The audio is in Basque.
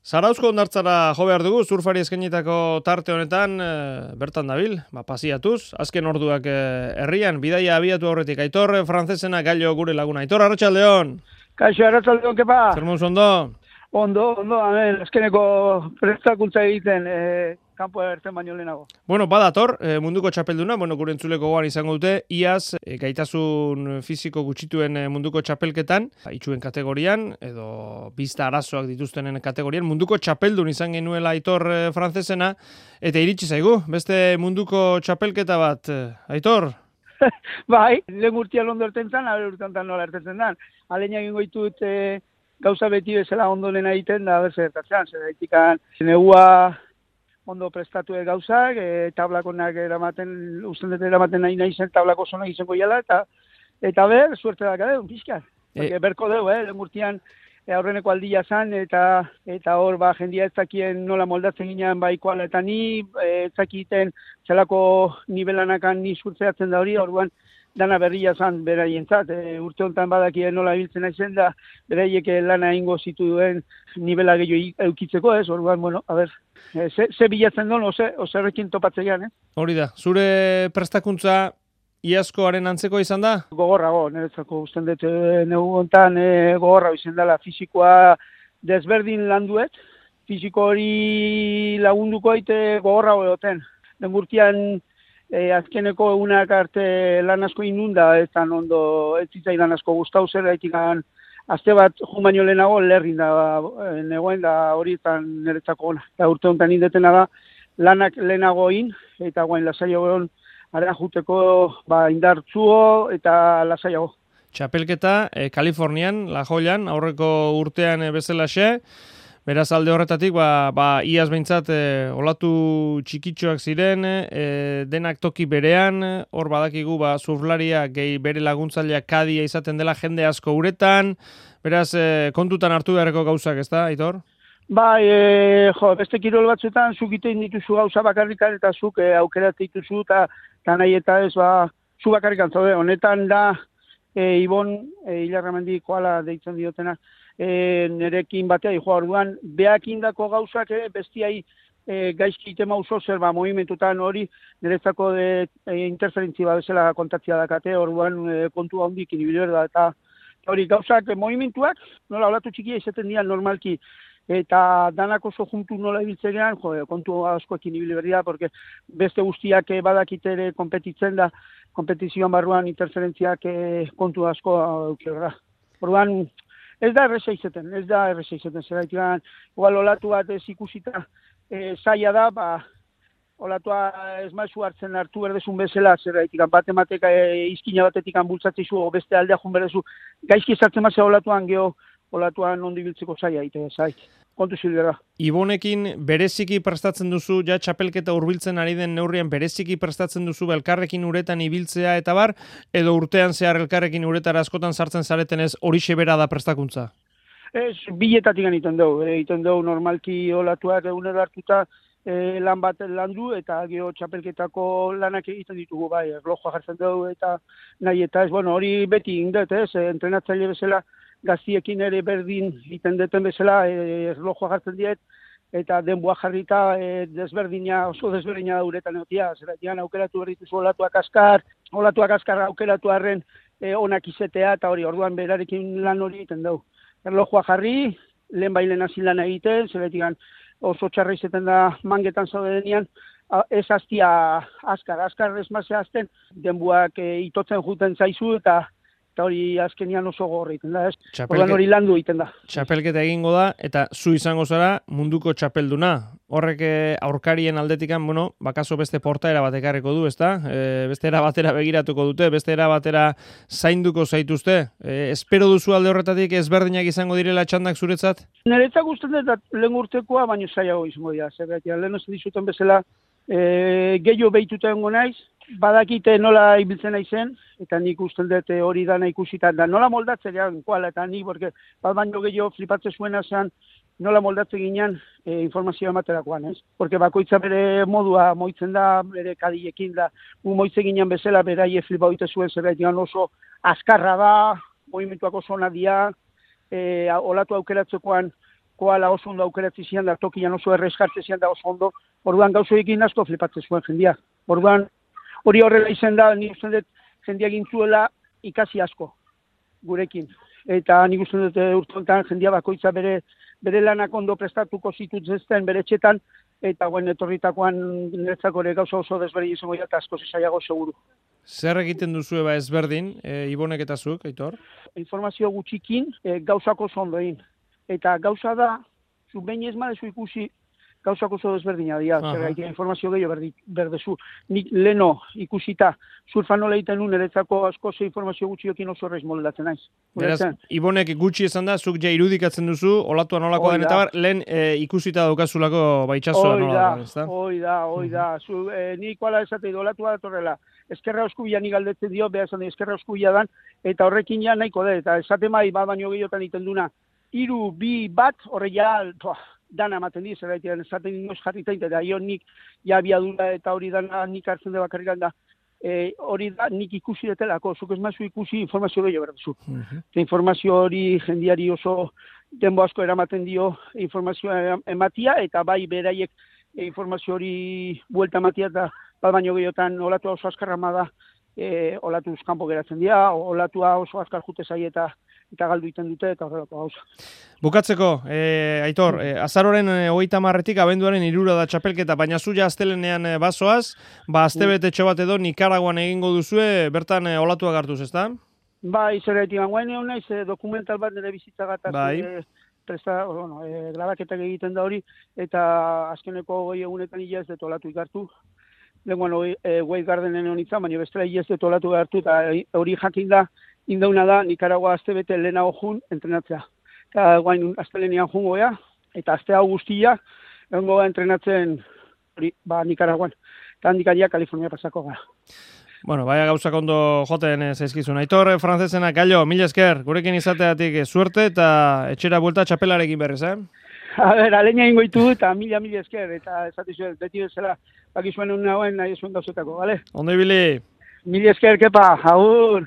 Zarauzko hondartzara jo behar dugu, surfari eskainitako tarte honetan bertan dabil, pasiatuz, azken orduak herrian, bidaia abiatu aurretik. Aitor frantzesena gailo gure laguna. Aitor, arratsaldeon. Kaixo, arratsaldeon, kepa? Zer moduz ondo? Ondo, amen, azkeneko prestakuntza egiten, kanpoa ertzen baino lehenago. Bueno, badator, munduko txapelduna, gure entzuleko goan izango dute, iaz, gaitasun fisiko gutxituen munduko txapelketan, itxuen kategorian, edo bizta arazoak dituztenen kategorian, munduko txapeldun izan genuela Aitor frantzesena, eta iritsi zaigu, beste munduko txapelketa bat, Aitor? Bai, lehen urtia londo erten zan, urtean nola ertetzen dan. Aleina egingo ditut gauza beti bezala ondolen egiten, da berze ertatzen, zer daitikan negua ondo prestatu gauzak, tablakonak eramaten, usten dut eramaten nahi zen tablako zonak izango jala, eta ber, suerte dakade, un pixka. Berko deu, lehen urtian aurreneko aldia zan, eta hor jendia etzakien nola moldatzen ginean baikoala eta ni, etzakiten zelako nibelanakan ni surtzeatzen da hori, orduan dana berria zan beraientzat, urte honetan badakien nola ibiltzen naizen da, beraiek lana ingo zituen nivela gehiago eukitzeko, orduan, bueno, a ber, ze bilatzen duen, oserrekin topatzean, Hori da, zure prestakuntza iazkoaren antzeko izan da? Gogorrago, niretzako usten dut negu honetan gogorra izan dela, fisikoa desberdin landuet, fisiko hori lagunduko aite gogorrago egoten. Dengurtian azkeneko egunak arte lan asko inunda, ezan ondo ez zitzaidan asko gustau zer gaitikan aste bat jun baino lehenago lerrin da negoen da hori eta niretzako ona. Eta urte honetan indetena da lanak lehenago eta guain lasaiago ara juteko indartzuo eta lasaiago. Txapelketa Kalifornian, La Joyan, aurreko urtean bezalaxe. Beraz alde horretatik, iaz behintzat olatu txikitxoak ziren, denak toki berean, hor badakigu surflaria gehi bere laguntzailea kadia izaten dela jende asko uretan, beraz kontutan hartu beharreko gauzak, ez da, Aitor? Beste kirol batzuetan zuk itein dituzu gauza bakarrikan eta zuk aukerat dituzu eta nahi eta ez zu bakarrikan zaude. Honetan da Ibon Ilarramendi koala deitzen diotenak. Nerekin batea joa orduan, beak indako gauzak bestiai gaizki itema oso zer movimentutan hori niretzako interferentzi bezala kontatzia dakate, orduan kontu handik inibider da, eta hori gauzak movimentuak nola olatu txikia izaten dian normalki, eta danak oso juntu nola ibiltzean, kontu askoekin ibili berria, porque beste guztiak badakitere konpetitzen da, kompetizioan barruan interferentziak kontu asko aukera. Orduan, ez da erresa izaten, zeraitik igual olatu bat ez ikusita zaila da, olatua ez maizu hartzen hartu berdezun bezala, zeraitik bat ematek izkina batetik bultzatzizu, o beste aldea jun berdezu, gaizki ezartzen mazera olatuan geho, olatuan ondo ibiltzeko zaila, kontu zilbera. Ibonekin bereziki prestatzen duzu, ja txapelketa hurbiltzen ari den neurrian bereziki prestatzen duzu elkarrekin uretan ibiltzea eta bar, edo urtean zehar elkarrekin uretara askotan sartzen zaretenez horixe bera da prestakuntza? Ez, biletatik egiten dugu, normalki olatuak egunero hartuta lan bat landu eta geho txapelketako lanak egiten ditugu, erlojoa jartzen dugu eta nahi eta ez, hori beti indet, entrenatzaile bezala, gaztiekin ere berdin egiten duten bezala, erlojoa jartzen diet, eta denboa jarrita oso desberdina da uretan egotia, zeratian aukeratu berrituzu olatuak askar aukeratu arren onak izetea, eta hori orduan berarekin lan hori egiten dugu. Erlojoa jarri, lehen bailen hasi lan egiten, zeratikan oso txarra izeten da mangetan zaude denean, ez hastia askar ez mazea azten, denboak itotzen juten zaizu, eta hori azkenian oso gorra egiten da, ez? Orduan hori landu egiten da. Txapelketa egingo da, eta zu izango zara munduko txapelduna. Horrek aurkarien aldetikan, bakaso beste portaera bat ekarriko du, ezta? Beste era batera begiratuko dute, beste era batera zainduko zaituzte. Espero duzu alde horretatik ezberdinak izango direla txandak zuretzat? Niretzak gustatzen dut lehen urtekoa, baina zailago izango dira. Lehen ez dizuten bezala gehiago behituta egongo naiz, badakite nola ibiltzen naizen, eta nik usten dut hori dana ikusita, da nola moldatzen koala, eta nik, porque bat baino gehiago flipatze zuena zen, nola moldatzen ginean informazioa ematerakoan, ez? Porque bakoitza bere modua moitzen da, bere kadiekin da, moitzen ginean bezala, beraie flipa hoite zuen zerbait oso azkarra da, movimentuak oso ona dira, olatu aukeratzekoan koala oso ondo aukeratzi zian da, tokian oso errezkartze zian da oso ondo, orduan gauzoekin asko flipatzen zuen jendia. Orduan, hori horrela izan da, nik uste dut jendia gintzuela ikasi asko gurekin. Eta nik uste dut urte jendia bakoitza bere lanak ondo prestatuko zituzten bere etxetan, eta guen etorritakoan niretzako ere gauza oso desberdin izango eta asko zizaiago seguru. Zer egiten duzu ezberdin, Ibonek eta zuk, Aitor? Informazio gutxikin gauzako oso ondo egin. Eta gauza da, zu behin ez madezu ikusi, gauzak oso desberdina dira, zergaitik informazio gehiago berdezu. Nik leno ikusita, surfa nola egiten nun, eretzako asko ze informazio gutxiokin oso horreiz moldatzen naiz. Beraz, Ibonek gutxi esan da, zuk ja irudikatzen duzu, olatua nolakoa den eta bar, lehen ikusita daukazulako baitxasoa nola da. Hoi da. Nik koala esate olatua datorrela. Eskerra oskubila nik galdetzen dio, beha esan eskerra oskubila dan, eta horrekin ja nahiko da, eta esate mai, baino gehiotan iten duna, 3, 2, 1, horre ja, dana ematen di, zergatik esaten inoz jarritain, eta nik ja biadura eta hori dana nik hartzen da bakarrikan da. Hori da nik ikusi detelako, zuk ez mazu ikusi informazio gehiago berdezu. Informazio hori jendiari oso denbo asko eramaten dio informazioa ematia, eta bai beraiek informazio hori buelta ematia, eta baino gehiotan olatua oso askarrama da, olatu kanpo geratzen dira, olatua oso askar jute zai eta galdu iten dute, eta horrelako gauza. Bukatzeko, Aitor, azaroren 30-etik abenduaren 3 da txapelketa, baina zuia astelenean bazoaz, astebetetxo bat edo Nikaraguan egingo duzue, bertan olatuak hartuz, ezta? Bai, zergatik bangoen egon naiz, dokumental bat nire bizitzagataz, grabaketak egiten da hori, eta azkeneko 20 egunetan ia ez dut olatu ikartu. Lenguan White Gardenen honitzen, baina bestela ia ez dut olatu ikartu, eta hori jakin da, indauna da, Nikaragua astebete lehenago jun entrenatzea. Eta guain astelenean jungo ea, eta aste hau guztia, egongo entrenatzen hori, Nikaraguan. Eta handikaria Kalifornia pasako gara. Bueno, baina gauzak ondo joten zaizkizun. Aitor frantzesena, Gallo, mila esker, gurekin izateatik suerte eta etxera buelta txapelarekin berriz, A ber, aleina ingo ditu eta mila esker, eta esatizuen, beti bezala, bakizuen nahi zuen gauzetako, bale? Ondo ibili. Mila esker, kepa, agur!